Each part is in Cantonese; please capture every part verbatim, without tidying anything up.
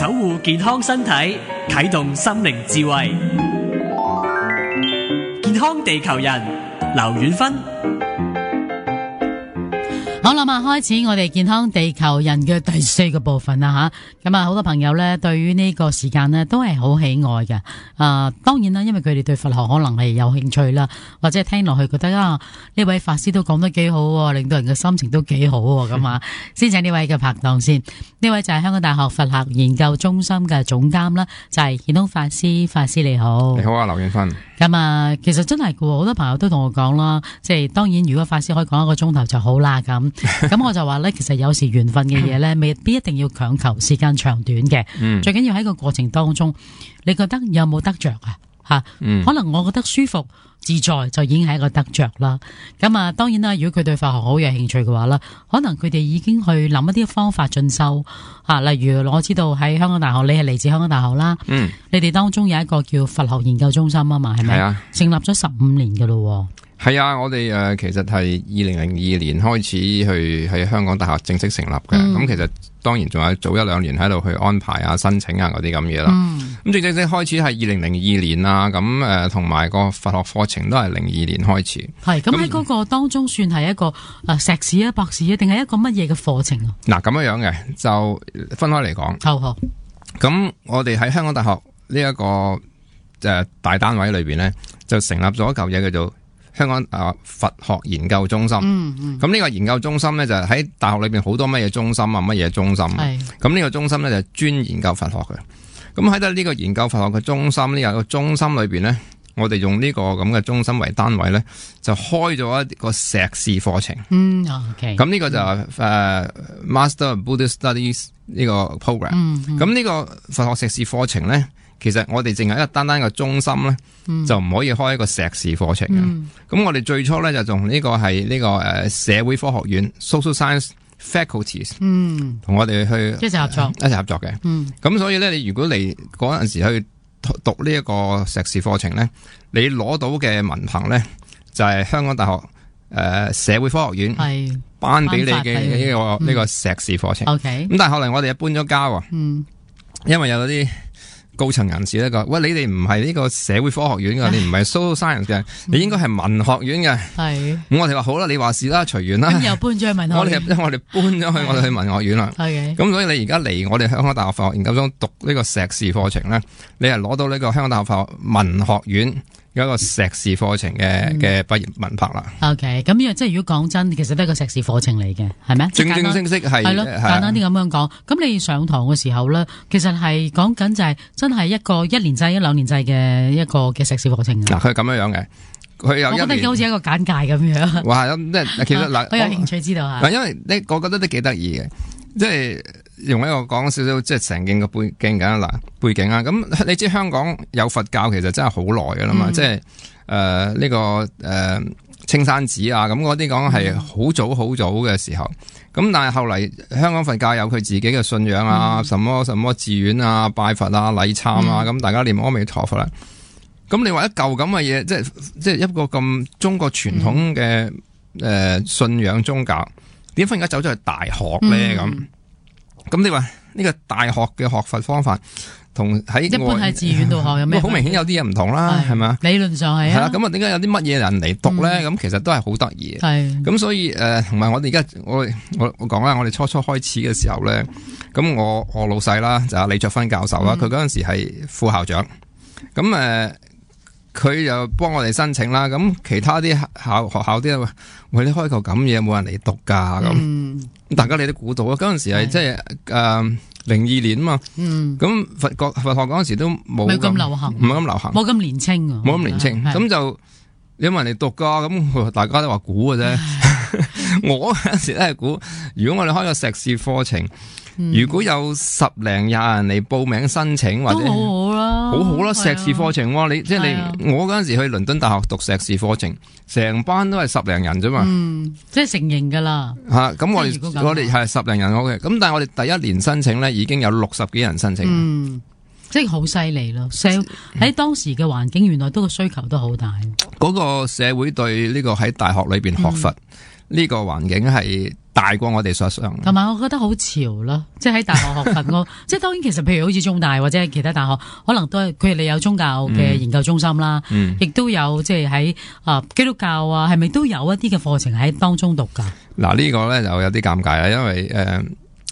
守護健康身體，啟動心靈智慧。健康地球人，劉遠芬。好啦，嘛開始我哋健康地球人嘅第四個部分啦吓，咁啊好多朋友咧對於呢個時間咧都係好喜愛嘅。啊，當然啦，因為佢哋對佛學可能係有興趣啦，或者聽落去覺得啊呢位法師都講得幾好，令到人嘅心情都幾好咁啊。先請呢位嘅拍檔先，呢位就係香港大學佛學研究中心嘅總監啦，就係顯通法師。法師你好。你好啊，劉遠芬。咁啊，其實真係嘅，好多朋友都同我講啦，即係當然如果法師可以講一個鐘頭就好啦咁。咁我就話咧，其實有時緣分嘅嘢咧，未必一定要強求時間長短嘅。嗯、最緊要喺個過程當中，你覺得有冇得着啊？吓、嗯，可能我覺得舒服自在就已經係一個得着啦。咁啊，當然啦，如果佢對佛學好有興趣嘅話啦，可能佢哋已經去諗一啲方法進修吓。例如我知道喺香港大學，你係嚟自香港大學啦。嗯，你哋當中有一個叫佛學研究中心啊嘛，係咪？係啊，成立咗十五年㗎咯。係啊，我哋誒、呃、其實係二零零二年開始去喺香港大學正式成立嘅。咁、嗯、其實當然仲有早一兩年喺度去安排啊、申請啊嗰啲咁嘢啦。咁、嗯、正正式開始係二零零二年啦。咁誒同埋個佛學課程都係零二年開始。係咁喺嗰個當中算係一個誒碩士啊、博士啊，定係一個乜嘢嘅課程啊？嗱，咁樣樣嘅就分開嚟講。好好。咁我哋喺香港大學呢、這、一個誒、呃、大單位裏邊咧，就成立咗一嚿嘢叫做香港啊佛學研究中心。嗯嗯。咁呢個研究中心咧就係喺大學裏邊好多乜嘢中心啊，乜嘢中心。係。咁呢個中心咧就係專研究佛學嘅。咁喺度呢個研究佛學嘅中心呢，有個中心裏邊咧，我哋用呢個咁嘅中心為單位咧，就開咗一個碩士課程。嗯 OK。咁呢個就係誒、uh, Master of Buddhist Studies 呢個 program。嗯。咁呢個佛學碩士課程咧，其實我哋淨係一個單單嘅中心咧、嗯，就唔可以開一個碩士課程嘅。咁、嗯、我哋最初咧就從呢個係呢個誒社會科學院 Social Science Faculties， 嗯，同我哋去一齊合作，一齊合作嘅。嗯，咁所以咧，你如果嚟嗰陣時去讀呢一個碩士課程咧，你攞到嘅文憑咧就係、是、香港大學誒、呃、社會科學院係頒俾你嘅呢、這個呢、嗯這個碩士課程。OK，咁但係後來我哋又搬咗家喎。嗯，因為有啲高層人士咧講，喂，你哋唔係呢個社會科學院嘅，你唔係 social science 嘅，你應該係文學院嘅。係，咁我哋話好啦，你話事啦，隨緣啦。咁又搬咗去文學院。我哋因為我哋搬咗去我哋去文學院啦。係嘅。咁所以你而家嚟我哋香港大學佛學研究中讀呢個碩士課程咧，你係攞到呢個香港大學佛學文學院有一個碩士課程嘅嘅畢業文憑啦。OK， 咁因為即係如果講真，其實都係個碩士課程嚟嘅，係咪？正正式式係係咯，簡單啲咁樣講。咁你上堂嘅時候咧，其實係講緊就係真係一個一年制、一兩年制嘅一個嘅碩士課程。嗱，佢係咁樣樣嘅，佢有一年。我覺得好似一個簡介咁樣。哇，咁即係其實嗱，我有興趣知道下。嗱，因為你我覺得都幾得意嘅，即係。用一個講少少即係成件嘅背景㗎嗱，背景啊，咁你知香港有佛教其實真係好耐㗎啦嘛，嗯、即係誒呢個誒、呃、青山寺啊，咁嗰啲講係好早好早嘅時候，咁但係後嚟香港佛教有佢自己嘅信仰啊，嗯、什麼什麼寺院啊、拜佛啊、禮懺啊，咁、嗯、大家念阿彌陀佛啦，咁你話一嚿咁嘅嘢，即係即係一個咁中國傳統嘅誒、嗯呃、信仰宗教，點解而家走咗去大學咧咁？嗯咁你話呢個大學嘅學佛方法同喺一般喺寺院度學有咩？好明顯有啲嘢唔同啦，係咪？理論上係啊。係啦，咁啊，點解有啲乜嘢人嚟讀咧？咁、嗯、其實都係好得意嘅。係。咁所以誒，同、呃、埋我哋而家我我我講啦，我哋初初開始嘅時候咧，咁我我老細啦就係李卓芬教授啦，佢嗰陣時係副校長。咁誒，佢、呃、就幫我哋申請啦。咁其他啲校學校啲喂，你開個咁嘢，冇人嚟讀噶咁。嗯大家你都估到啊！嗰陣時係即係誒零二年啊嘛，咁佛國佛學嗰陣時都冇咁流行，唔係咁流行，冇咁年青啊，冇咁年青，咁就有冇人嚟讀噶？咁大家都話估嘅啫。我嗰陣時都係估，如果我哋開個碩士課程。嗯、如果有十零廿人嚟報名申請，或者都好好啦，好好啦，碩士課程，你即係你我嗰陣時去倫敦大學讀碩士課程，成班都係十零人啫嘛，嗯，即係成型噶啦吓，咁、啊、我哋我哋係十零人好嘅，咁但係我哋第一年申請咧已經有六十幾人申請，嗯，即係好犀利咯，社喺當時嘅環境原來都個需求都好大，嗰、那個社會對呢個喺大學裏邊學佛。嗯呢個環境係大過我哋所想。同埋我覺得好潮咯，即係喺大學學訓咯。即係當然其實譬如好似中大或者其他大學，可能都係佢哋有宗教嘅研究中心啦，亦、嗯嗯、都有即係喺啊基督教啊，係咪都有一啲嘅課程喺當中讀㗎？嗱呢個咧就有啲尷尬啦，因為誒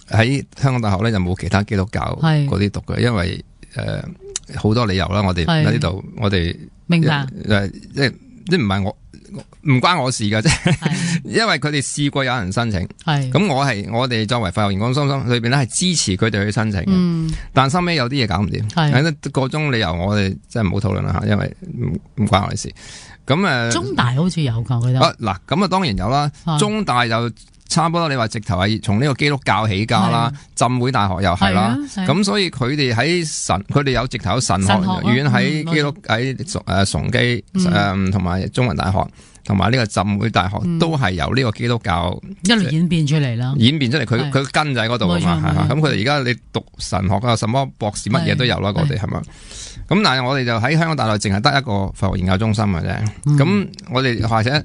喺、呃、香港大學咧就冇其他基督教嗰啲讀嘅，因為誒好、呃、多理由啦。我哋喺呢度，我哋明白誒即係即唔係我。唔關我事噶啫，因為佢哋試過有人申請，咁我係我哋作為佛學研究中心裏邊咧係支持佢哋去申請嘅、嗯，但收尾有啲嘢搞唔掂，個中理由我哋真係唔好討論啦吓，因為唔唔關我哋事。咁誒，中大好似有噶，我覺得。嗱，咁啊當然有啦，中大就差不多，你話直頭係從呢個基督教起家啦，浸會大學又係啦，咁所以佢哋喺神，佢哋有直頭神學院喺基督喺誒崇基誒同埋中文大學。同埋呢個浸會大學都係由呢個基督教、嗯、一路演變出嚟啦，演變出嚟佢佢根就喺嗰度啊嘛，咁佢哋而家你讀神學啊，什麼博士乜嘢都有啦，我哋係咪？咁但係我哋就喺香港大學淨係得一個佛學研究中心嘅啫，咁、嗯、我哋或者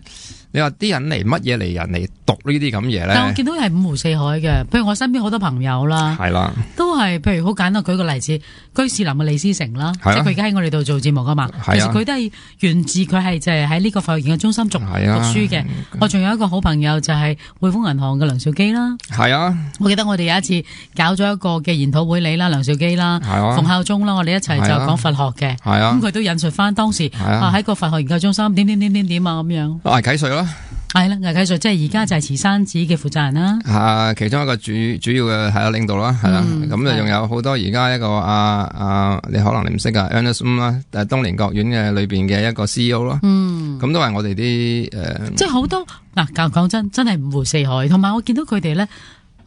你話啲人嚟乜嘢嚟人嚟讀呢啲咁嘢咧？但我見到係五湖四海嘅，譬如我身邊好多朋友啦，係啦，都係譬如好簡單舉個例子，居士林嘅李思成啦，即係佢而家喺我哋度做節目噶嘛，其實佢都係源自佢係就係喺呢個佛學研究中心讀讀書嘅。我仲有一個好朋友就係匯豐銀行嘅梁兆基啦，係啊，我記得我哋有一次搞咗一個嘅研討會，你啦，梁兆基啦，馮孝忠啦，我哋一齊就講佛學嘅，咁佢都引述翻當時啊喺個佛學研究中心點點點點點啊咁樣。魏啟瑞咯。係啦，魏啟瑞即係而家就係慈山寺嘅負責人啦，係其中一個主主要嘅係啊領導啦，係啦，咁就仲有好多而家一個啊啊，你可能你唔識噶 Ernest Wong 啦，誒東蓮國院嘅裏邊嘅一個 C E O 咯，嗯，咁都係我哋啲誒，即係好多嗱，講講真，真係五湖四海，同埋我見到佢哋咧。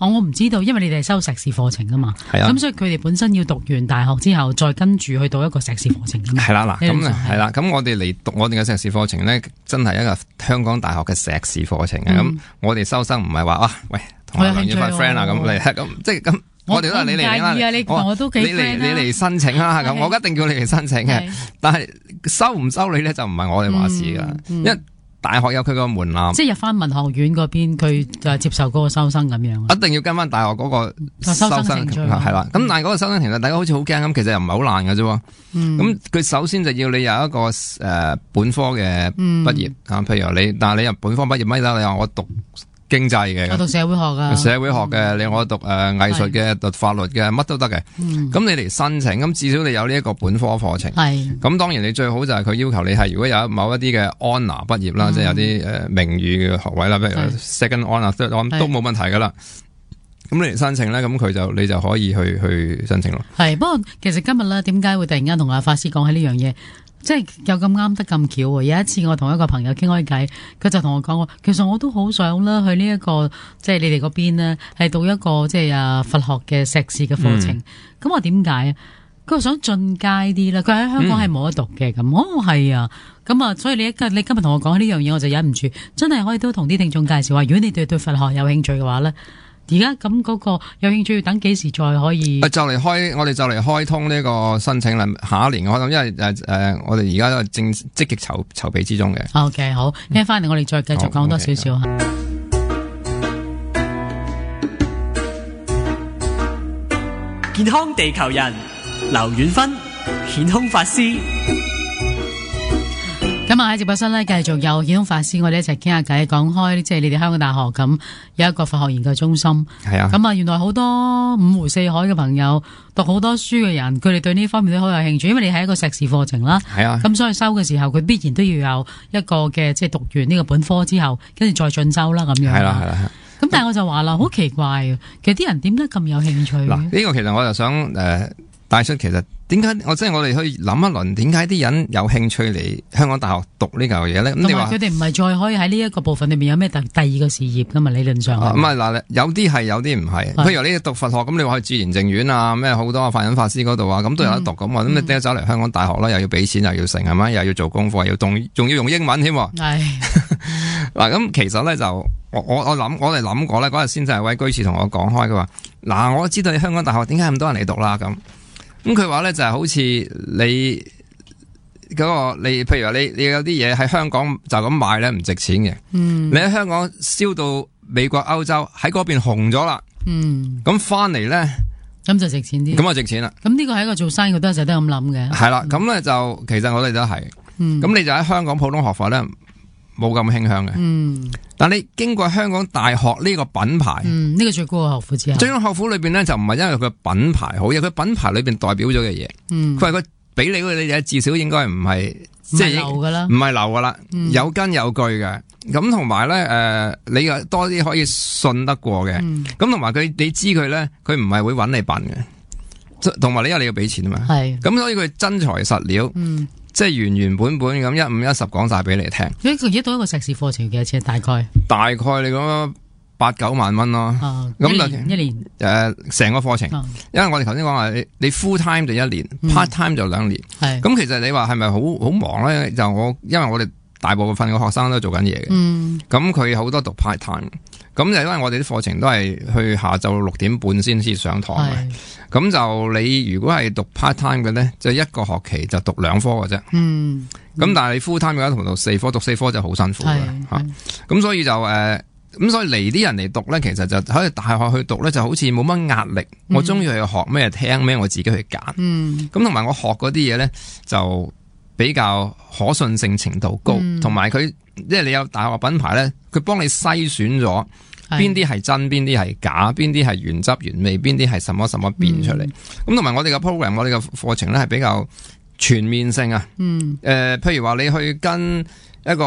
我我唔知道，因為你哋係修碩士課程噶嘛，係啊，咁所以佢哋本身要讀完大學之後，再跟住去讀一個碩士課程噶嘛。係啦，嗱，咁係啦，咁我哋嚟讀我哋嘅碩士課程咧，真係一個香港大學嘅碩士課程嘅。咁、嗯、我哋收生唔係話啊，喂，同我梁遠發 friend 啊，咁嚟，咁即係咁，我哋都係你嚟啦。你我我都幾 friend 啦。你嚟你嚟申請啦，咁我一定叫你嚟申請嘅。但係收唔收你咧，就唔係我哋話事噶，因為大學有佢個門檻，即係入翻文學院嗰邊，佢就接受嗰個收生咁樣。一定要跟翻大學嗰個收生係啦。咁、嗯、但係嗰個收生其實大家好似好驚咁，其實又唔係好難㗎啫。咁、嗯、佢首先就要你有一個誒、呃、本科嘅畢業啊、嗯，譬如你，但係你入本科畢業乜得？你話我讀經濟嘅，我讀社會學噶，社會學嘅，你我讀誒藝術嘅，讀法律嘅，乜都得嘅。咁、嗯、你嚟申請，咁至少你有呢一個本科課程。係，咁當然你最好就係佢要求你係如果有某一啲嘅 honour 畢業啦，嗯、即係有啲誒名譽嘅學位啦，譬如 second honour、third honour 都冇問題噶啦。咁你嚟申請咧，咁佢就你就可以去去申請咯。係，不過其實今日咧，點解會突然間同阿法師講起呢樣嘢？即係又咁啱得咁巧喎！有一次我同一個朋友傾開偈，佢就同我講話，其實我都好想啦去呢、這、一個即係你哋嗰邊呢，係讀一個即係啊佛學嘅碩士嘅課程。咁、嗯、我點解啊？佢話想進階啲啦，佢喺香港係冇得讀嘅咁。哦，係啊，咁啊，所以你一你今日同我講呢樣嘢，我就忍唔住，真係可以都同啲聽眾介紹話，如果你對對佛學有興趣嘅話咧。而家咁嗰個有興趣要等幾時再可以？就嚟開，我哋就嚟開通呢個申請啦。下一年開通，因為誒誒、呃，我哋而家都係正積極籌籌備之中嘅。OK， 好，聽翻嚟我哋再繼續講多少少吓。健康地球人，劉遠芬，顯空法師。咁啊喺直播室咧，繼續有顯空法師，我哋一齊傾下偈，講開即係你哋香港大學咁有一個佛學研究中心。係啊，咁啊原來好多五湖四海嘅朋友，讀好多書嘅人，佢哋對呢方面都好有興趣，因為你係一個碩士課程啦。係啊，咁所以收嘅時候，佢必然都要有一個嘅即係讀完呢個本科之後，跟住再進修啦咁樣。係啦係啦。咁但係我就話啦，好奇怪啊，其實啲人點解咁有興趣？嗱，呢個其實我就想誒。呃帶出其實點解我即係我哋去諗一輪，點解啲人有興趣嚟香港大學讀呢嚿嘢咧？咁你話佢哋唔係再可以喺呢一個部分裏面有咩第第二個事業噶嘛？理論上唔係嗱，有啲係有啲唔係。譬如你讀佛學咁，你話去自然淨院啊，咩好多法忍法師嗰度啊，咁都有得讀咁啊。咁、嗯、你點解走嚟香港大學啦？又要俾錢，又要成係咪？又要做功課，又要仲仲要用英文添。係嗱，咁其實咧就我我我諗我哋諗過咧，嗰日先就係位居士同我講開，佢話嗱，我知道你香港大學點解咁多人嚟讀啦咁。咁佢話咧就係好似你嗰個你，譬如話你你有啲嘢喺香港就咁賣咧唔值錢嘅，嗯，你喺香港燒到美國、歐洲喺嗰邊紅咗啦，嗯，咁翻嚟咧，咁就值錢啲，咁啊值錢啦。咁呢個係一個做生意都成日都咁諗嘅，係啦。咁咧就其實我哋都係，嗯，咁你就喺香港普通學法咧。冇咁傾向嘅，嗯，但你經過香港大學呢個品牌，嗯，呢、這個最高嘅學府之後，最高學府裏邊咧就唔係因為佢品牌好，而佢品牌裏邊代表咗嘅嘢，嗯，佢係佢俾你嗰啲嘢，至少應該唔係即係流噶啦，唔係流噶啦，嗯、有根有據嘅，咁同埋咧，誒、呃，你又多啲可以信得過嘅，咁同埋佢你知佢咧，佢唔係會揾你笨嘅，同埋你因為你要俾錢啊嘛，係，咁所以佢真材實料，嗯。即係原原本本咁一五一十講晒俾你聽。一佢一到一個碩士課程幾多錢？大概大概你講八九萬蚊咯。咁一年一年誒，成個課程，哦、因為我哋頭先講話你你 full time 就一年、嗯、，part time 就兩年。係咁，其實你話係咪好好忙咧？就我因為我哋大部分嘅學生都做緊嘢嘅。嗯。咁佢好多讀 part time。咁就因為我哋啲課程都係去下晝六點半先至上堂嘅，咁就你如果係讀 part time 嘅咧，就一個學期就讀兩科嘅啫。嗯，咁、嗯、但係你 full time 嘅話，同讀四科，讀四科就好辛苦嘅吓。咁所以就誒，咁、呃、所以嚟啲人嚟讀咧，其實就喺大學去讀咧，就好似冇乜壓力。嗯、我中意去學咩聽咩，我自己去揀。嗯，咁同埋我學嗰啲嘢咧，就比較可信性程度高，同埋佢即係你有大學品牌咧，佢幫你篩選咗。邊啲係真，邊啲係假，邊啲係原汁原味，邊啲係什麼什麼變出嚟。咁同埋我哋嘅 program，我哋嘅課程咧係比較全面性啊。嗯。誒、呃，譬如話你去跟一個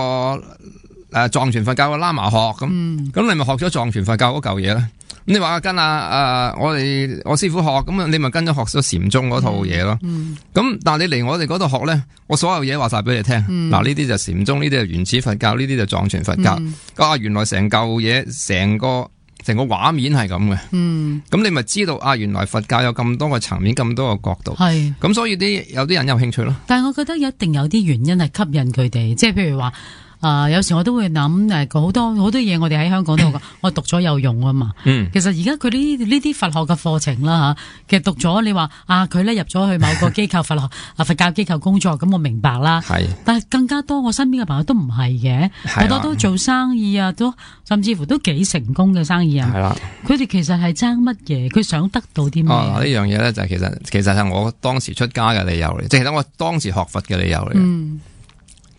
誒藏傳佛教嘅喇嘛學咁，咁、嗯、你咪學咗藏傳佛教嗰嚿嘢咧。咁你話跟啊誒，我哋我師傅學，咁你咪跟咗學咗禪宗嗰套嘢咯。咁、嗯嗯、但係你嚟我哋嗰度學咧，我所有嘢話晒俾你聽。嗱，呢啲就禪宗，呢啲就原始佛教，呢啲就藏傳佛教。嗯、啊，原來成嚿嘢，成個成個畫面係咁嘅。嗯，咁你咪知道啊，原來佛教有咁多個層面，咁多個角度。係。咁所以啲有啲人有興趣咯。但係我覺得一定有啲原因係吸引佢哋，即係譬如話。啊、呃，有時我都會諗誒，好多好多嘢我哋喺香港度，我讀咗有用啊嘛。嗯，其實而家佢呢呢啲佛學嘅課程啦吓，其實讀咗你話啊，佢咧入咗去某個機構佛學啊佛教機構工作，咁我明白啦。係，但係更加多我身邊嘅朋友都唔係嘅，好多都做生意啊，都甚至乎都幾成功嘅生意啊。係啦，佢哋其實係爭乜嘢？佢想得到啲咩？哦，呢樣嘢咧就係其實其實係我當時出家嘅理由嚟，即係其實我當時學佛嘅理由嚟。嗯，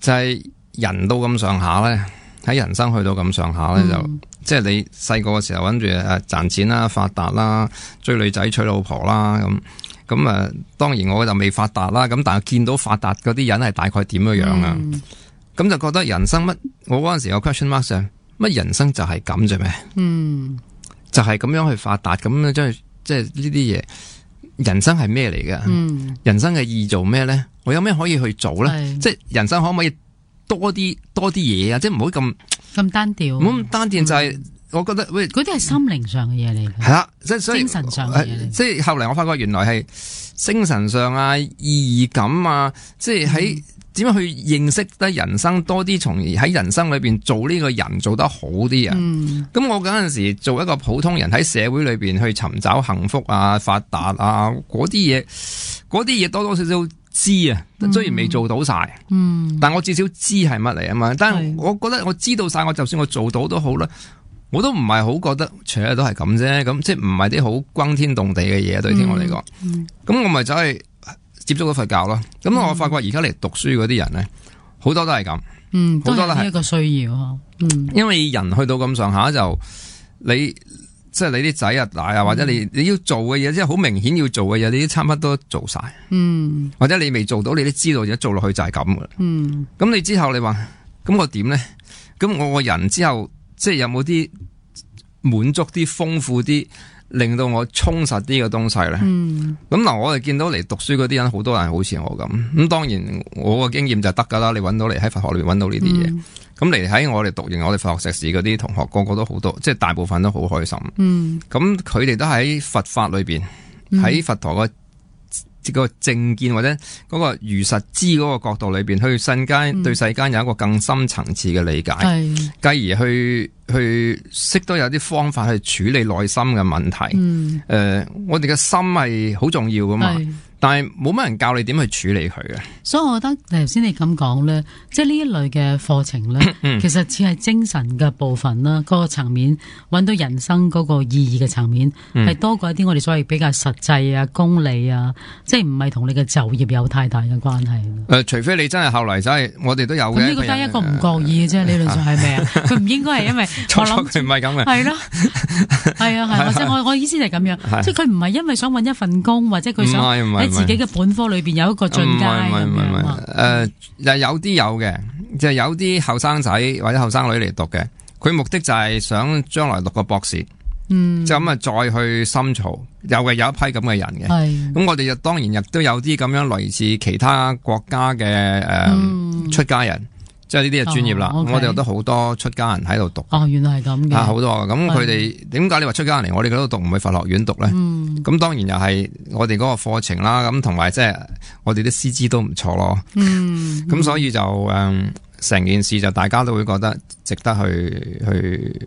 就係、是。人到咁上下咧，喺人生去到咁上下咧，嗯、就即係你細個嘅時候諗住誒賺錢啦、發達啦、追女仔、娶老婆啦咁咁誒。當然我就未發達啦，咁但係見到發達嗰啲人係大概點樣樣啊？咁、嗯、就覺得人生乜？我嗰陣時有 question mark 上乜人生就係咁啫咩？嗯，就係咁樣去發達咁樣，即係即係呢啲嘢。人生係咩嚟嘅？嗯，人生嘅意義做咩咧？我有咩可以去做咧？即係人生可唔可以？多啲多啲嘢啊！即係唔好咁咁單調，唔好咁單調。就係我覺得喂，嗰啲係心靈上嘅嘢嚟。係啦，即係所以精神上嘅嘢。即係後嚟我發覺原來係精神上啊、意義感啊，即係喺點樣去認識得人生多啲，從而喺人生裏邊做呢個人做得好啲啊。咁、嗯、我嗰陣時做一個普通人喺社會裏邊去尋找幸福啊、發達啊嗰啲嘢，嗰啲嘢多多少少。知啊，雖然未做到晒，嗯，但我至少知係乜嚟啊嘛。但係我覺得我知道晒，我就算我做到都好啦，我都唔係好覺得，除咗都係咁啫。咁即係唔係啲好轟天動地嘅嘢，對聽我嚟講。咁、嗯嗯、我咪走去接觸咗佛教咯。咁、嗯、我發覺而家嚟讀書嗰啲人咧，好多都係咁，嗯，好多都係一個需要嗬。嗯，因為人去到咁上下就你。即係你啲仔啊大啊，或者你你要做嘅嘢，即係好明顯要做嘅嘢，你啲差唔多都做晒。嗯，或者你未做到，你都知道，而家做落去就係咁噶啦。嗯，咁你之後你話，咁我點咧？咁我個人之後即係有冇啲滿足啲、豐富啲，令到我充實啲嘅東西咧？嗯，咁嗱，我哋見到嚟讀書嗰啲人，好多人好似我咁。咁當然我個經驗就得噶啦，你搵到嚟喺佛學裏邊搵到呢啲嘢。嗯咁嚟喺我哋讀完我哋佛學碩士嗰啲同學，個個都好多，即係大部分都好開心。嗯，咁佢哋都喺佛法裏邊，喺、嗯、佛陀個個正見或者嗰個如實知嗰個角度裏邊，去世間對世間有一個更深層次嘅理解，係、嗯，繼而去去識得有啲方法去處理內心嘅問題。誒、嗯呃，我哋嘅心係好重要噶嘛。但係冇乜人教你點去處理佢嘅，所以我覺得頭先你咁講咧，即係呢一類嘅課程咧，其實只係精神嘅部分啦，嗰、那個層面揾到人生嗰個意義嘅層面，係、嗯、多過一啲我哋所謂比較實際啊、功利啊，即係唔係同你嘅就業有太大嘅關係。誒、呃，除非你真係後嚟真係，我哋都有嘅。咁呢個得一個唔覺意嘅啫，理論上係咩啊？佢唔應該係因為我諗佢唔係咁嘅，係咯，係啊係，即係我我意思就係咁樣，即係佢唔係因為想揾一份工，或者佢想喺自己嘅本科裏邊有一個進階咁樣。誒，有啲有嘅，就係有啲後生仔或者後生女嚟讀嘅，佢目的就係想將來讀個博士，嗯，就咁啊再去深造，有嘅有一批咁嘅人嘅。係，咁我哋就當然亦都有啲咁樣類似其他國家嘅誒、呃嗯、出家人。即係呢啲係專業啦，哦 okay、我哋有得好多出家人喺度讀。哦，原來係咁嘅。啊，好多咁佢哋點解你話出家人嚟？我哋嗰度讀唔去佛學院讀咧？咁、嗯、當然又係我哋嗰個課程啦。咁同埋即係我哋啲師資都唔錯咯。嗯，咁所以就誒，成、嗯、件事就大家都會覺得值得去去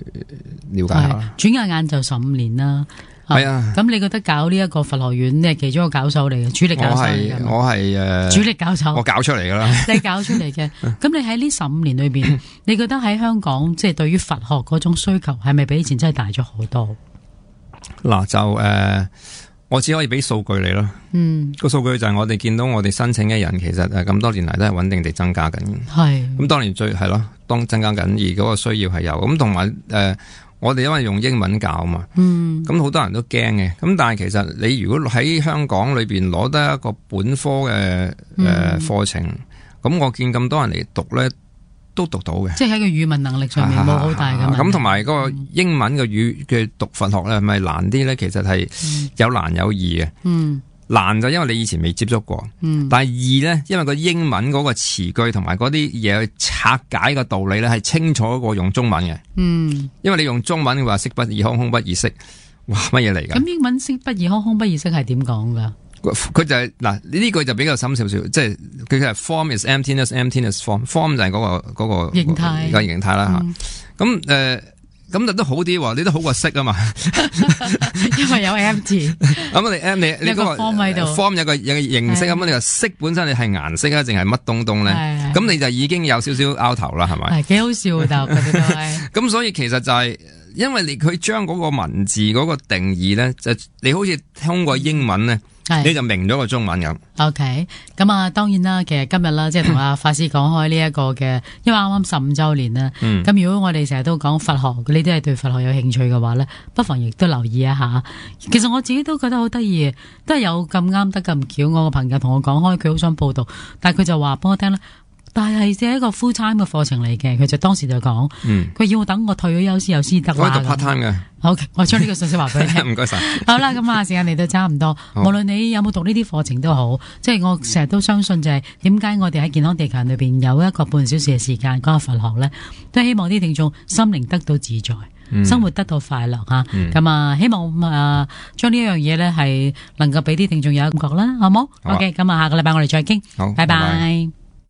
了解下。轉眼眼就十五年啦。係啊，咁你覺得搞呢一個佛學院，你係其中一個教授嚟嘅，主力教授嚟嘅。我係我係誒，主力教授，我搞出嚟噶啦。你搞出嚟嘅，咁你喺呢十五年裏邊，你覺得喺香港即係、就是、對於佛學嗰種需求係咪比以前真係大咗好多？嗱，就誒、呃，我只可以俾數據你咯。嗯，個數據就係我哋見到我哋申請嘅人，其實誒咁多年嚟都係穩定地增加緊。係，咁當然最係咯，當增加緊，而嗰個需要係有。咁同埋誒。呃我哋因為用英文教嘛，嗯，咁好多人都驚嘅。咁但係其實你如果喺香港裏邊攞得一個本科嘅誒課程，咁、嗯、我見咁多人嚟讀咧，都讀到嘅。即係喺個語文能力上面冇好大嘅問題。咁同埋嗰個英文嘅語嘅讀佛學咧，係咪難啲咧？其實係有難有易嘅。嗯。難就因為你以前未接觸過，嗯、但係易咧，因為個英文嗰個詞句同埋嗰啲嘢去拆解個道理咧，係清楚過用中文嘅。嗯，因為你用中文嘅話，色不異空，空不異色，哇，乜嘢嚟㗎？咁英文色不異空，空不異色係點講㗎？佢就係嗱呢句就比較深少少，即係佢係 form is emptiness，emptiness form，form 就係嗰、嗰個嗰、嗰個形態個形態啦嚇。咁誒。呃咁就都好啲，你都好過色啊嘛，因為有 empty。咁你 M 你你嗰個 form 喺度 ，form 有個有個形色咁，你話色本身你係顏色啊，定係乜東東咧？咁你就已經有少少拗頭啦，係咪？係幾好笑但係佢哋都係。咁所以其實就係、是、因為你佢將嗰個文字嗰個定義咧，就你好似通過英文咧。你就明咗個中文咁。OK，咁啊，當然啦，其實今日啦，即係同阿法師講開呢一個嘅，因為啱啱十五周年啦。嗯。咁如果我哋成日都講佛學，你都係對佛學有興趣嘅話咧，不妨亦都留意一下。其實我自己都覺得好得意，都係有咁啱得咁巧。我個朋友同我講開，佢好想報讀，但係佢就話俾我聽咧。但係係一個 full time 嘅課程嚟嘅，佢就當時就講，佢、嗯、要我等我退咗休先有先得啦。我係讀 part time 嘅。好，我將呢個信息話俾你聽。唔該晒。好啦，咁啊，時間嚟到差唔多。無論你有冇讀呢啲課程都好，即係我成日都相信就係點解我哋喺健康地球裏邊有一個半小時嘅時間講下佛學咧，都希望啲聽眾心靈得到自在。嗯、生活得到快樂吓，咁、嗯、啊希望啊將呢一樣嘢咧係能夠俾啲聽眾有感覺啦，好冇？OK，咁啊下個禮拜我哋再傾，好，拜拜。拜拜。